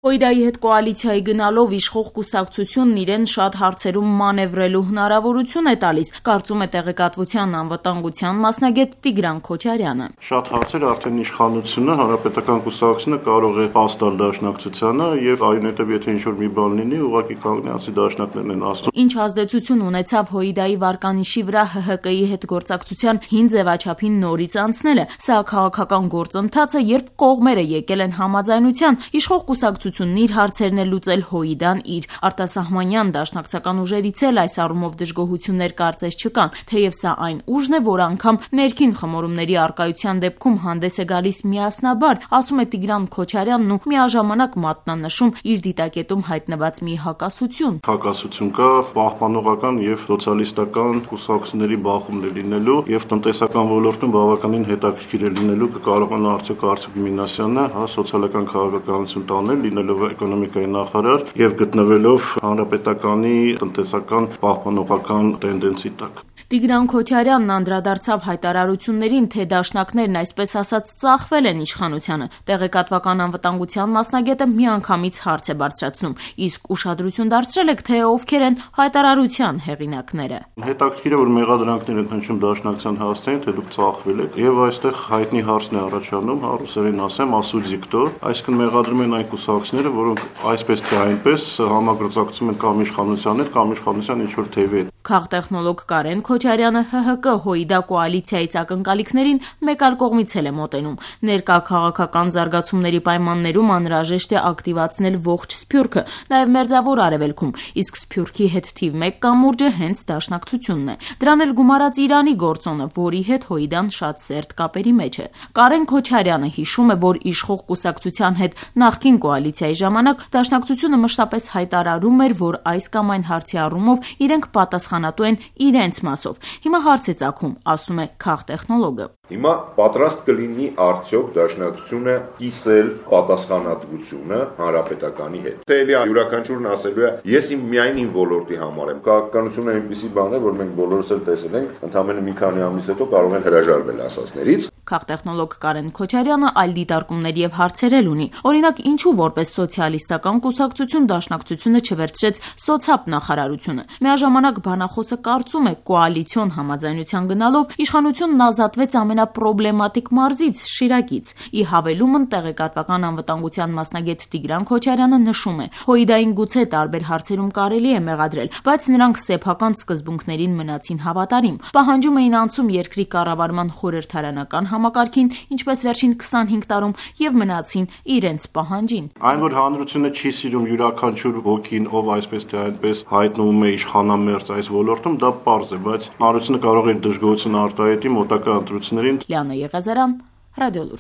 Հույդայի հետ կոալիցիայի գնալով իշխող կուսակցությունն իրեն շատ հարցերում մանևրելու հնարավորություն է տալիս, կարծում է տեղեկատվության անվտանգության մասնագետ Տիգրան Քոչարյանը։ Շատ հարցեր արդեն իշխանությունը, հանրապետական կուսակցությունը կարող է փաստալ դաշնակցությանը եւ այնուհետեւ եթե ինչ-որ մի բան լինի, ուղղակի կանգնեցի դաշնակներն են ասում։ Ինչ ազդեցություն ունեցավ Հույդայի վարկանիշի վրա ՀՀԿ-ի հետ գործակցության հին ձևաչափին նորից անցնելը։ Սա քաղաքական գործընթաց է, երբ կողմերը եկել են համաձայնության, իշխող կուսակցությունն իր հարցերն է լուծել, Հույդան իր։ Արտասահմանյան դաշնակցական ուժերից էլ այս առումով դժգոհություններ կարծես չկան, թեև սա այն ուժն է, որ անգամ ներքին խմորումների առկայության դեպքում հանդես է գալիս միասնաբար, ասում է Տիգրան Քոչարյանն ու միաժամանակ մատնանշում իր դիտակետում հայտնված մի հակասություն։ Հակասություն կա պահպանողական եւ սոցիալիստական կուսակցությունների բախումն է լինելու եւ տնտեսական ոլորտում բավականին հետաքրքիր է լինելու կկարողանա արդյոք Արծուկ Մինասյանը սոցիալական քաղաքականություն տանել, լինելով էկոնոմիկայի նախարար եւ գտնվելով հանրապետականի տնտեսական պահպանողական տենդենսի տակ։ Տիգրան Քոչարյանն անդրադարձավ հայտարարություններին, թե դաշնակներն այսպես ասած ծախվել են իշխանությանը։ Տեղեկատվական անվտանգության մասնագետը միանգամից հարց է բարձրացնում, իսկ ուշադրություն դարձրել եք, թե ովքեր են հայտարարության հեղինակները։ Հետաքրքիր է, որ մեղադրանքներ են հնչում դաշնակցության հասցեին, թե դուք ծախվել եք, եւ այստեղ հայտնի հարցն է առաջանում, ռուսերեն ասեմ, ասուդզի քտո, այսինքն մեղադրում են այն կուսակցությունները, որոնք այսպես թե այնպես համագործակցում են կամ իշխանության հետ, կամ իշխանության ինչ-որ թևի հետ։ Քաղտեխնոլոգ Կարեն Քոչարյանը ՀՀԿ Հույդա կոալիցիայից ակնկալիքներին մեկ այլ կողմից էլ է մոտենում։ Ներկա քաղաքական զարգացումների պայմաններում անհրաժեշտ է ակտիվացնել ողջ Սփյուռքը, նաև Մերձավոր Արևելքում, իսկ Սփյուռքի հետ թիվ 1 կամուրջը հենց դաշնակցությունն է։ Դրան էլ գումարած Իրանի գործոնը, որի հետ Հույդան շատ սերտ կապերի մեջ է։ Կարեն Քոչարյանը հիշում է, որ իշխող կուսակցության հետ նախկին կոալիցիայի ժամանակ դաշնակցությունը մշտապես հայտարարում էր, որ այս կամ այն հարցի առումով իրենք պատասխանատու են իրենց մասով։ Հիմա հարց է ծագում, ասում է քաղտեխնոլոգը։ Հիմա պատրաստ կլինի արդյոք դաշնակցությունը կիսել պատասխանատվությունը հանրապետականի հետ։ Թե էլի յուրաքանչյուրն ասելու է, ես միայն իմ ոլորտի համար եմ։ Քաղաքականությունը այնպիսի բան է, որ մենք բոլորս էլ տեսել ենք, ընդամենը մի քանի ամիս հետո կարող են հրաժարվել ասածներից։ Քաղտեխնոլոգ Կարեն Քոչարյանը այլ դիտարկումներ եւ հարցեր էլ ունի։ Օրինակ, ինչու որպես սոցիալիստական կուսակցություն դաշնակցությունը չվերցրեց սոցապ նախարարությունը։ Միաժամանակ բանախոսը կարծում է, կոալիցիոն համաձայնության գնալով իշխանությունն ազատվեց ամենապրոբլեմատիկ մարզից՝ Շիրակից։ Ի հավելումն տեղեկատվական անվտանգության մասնագետ Տիգրան Քոչարյանը նշում է, Հույդային գուցե տարբեր հարցերում կարելի է մեղադրել, բայց նրանք սեփական սկզբունքներին մնացին հավատարիմ։ Պահանջում էին անցում երկրի կառավարման խորհրդարանական համակարգին, ինչպես վերջին 25 տարում, եւ մնացին իրենց պահանջին։ Այն, որ հանրությունը չի սիրում յուրաքանչյուր ոգին, ով այսպես թե այնպես հայտնվում է իշխանամերձ այս ոլորտում, դա պարզ է, բայց հանրությունը կարող է դժգոհություն արտահայտի մոտակա ընտրություններին։ Լիանա Եղազարյան, Ռադիոլուր։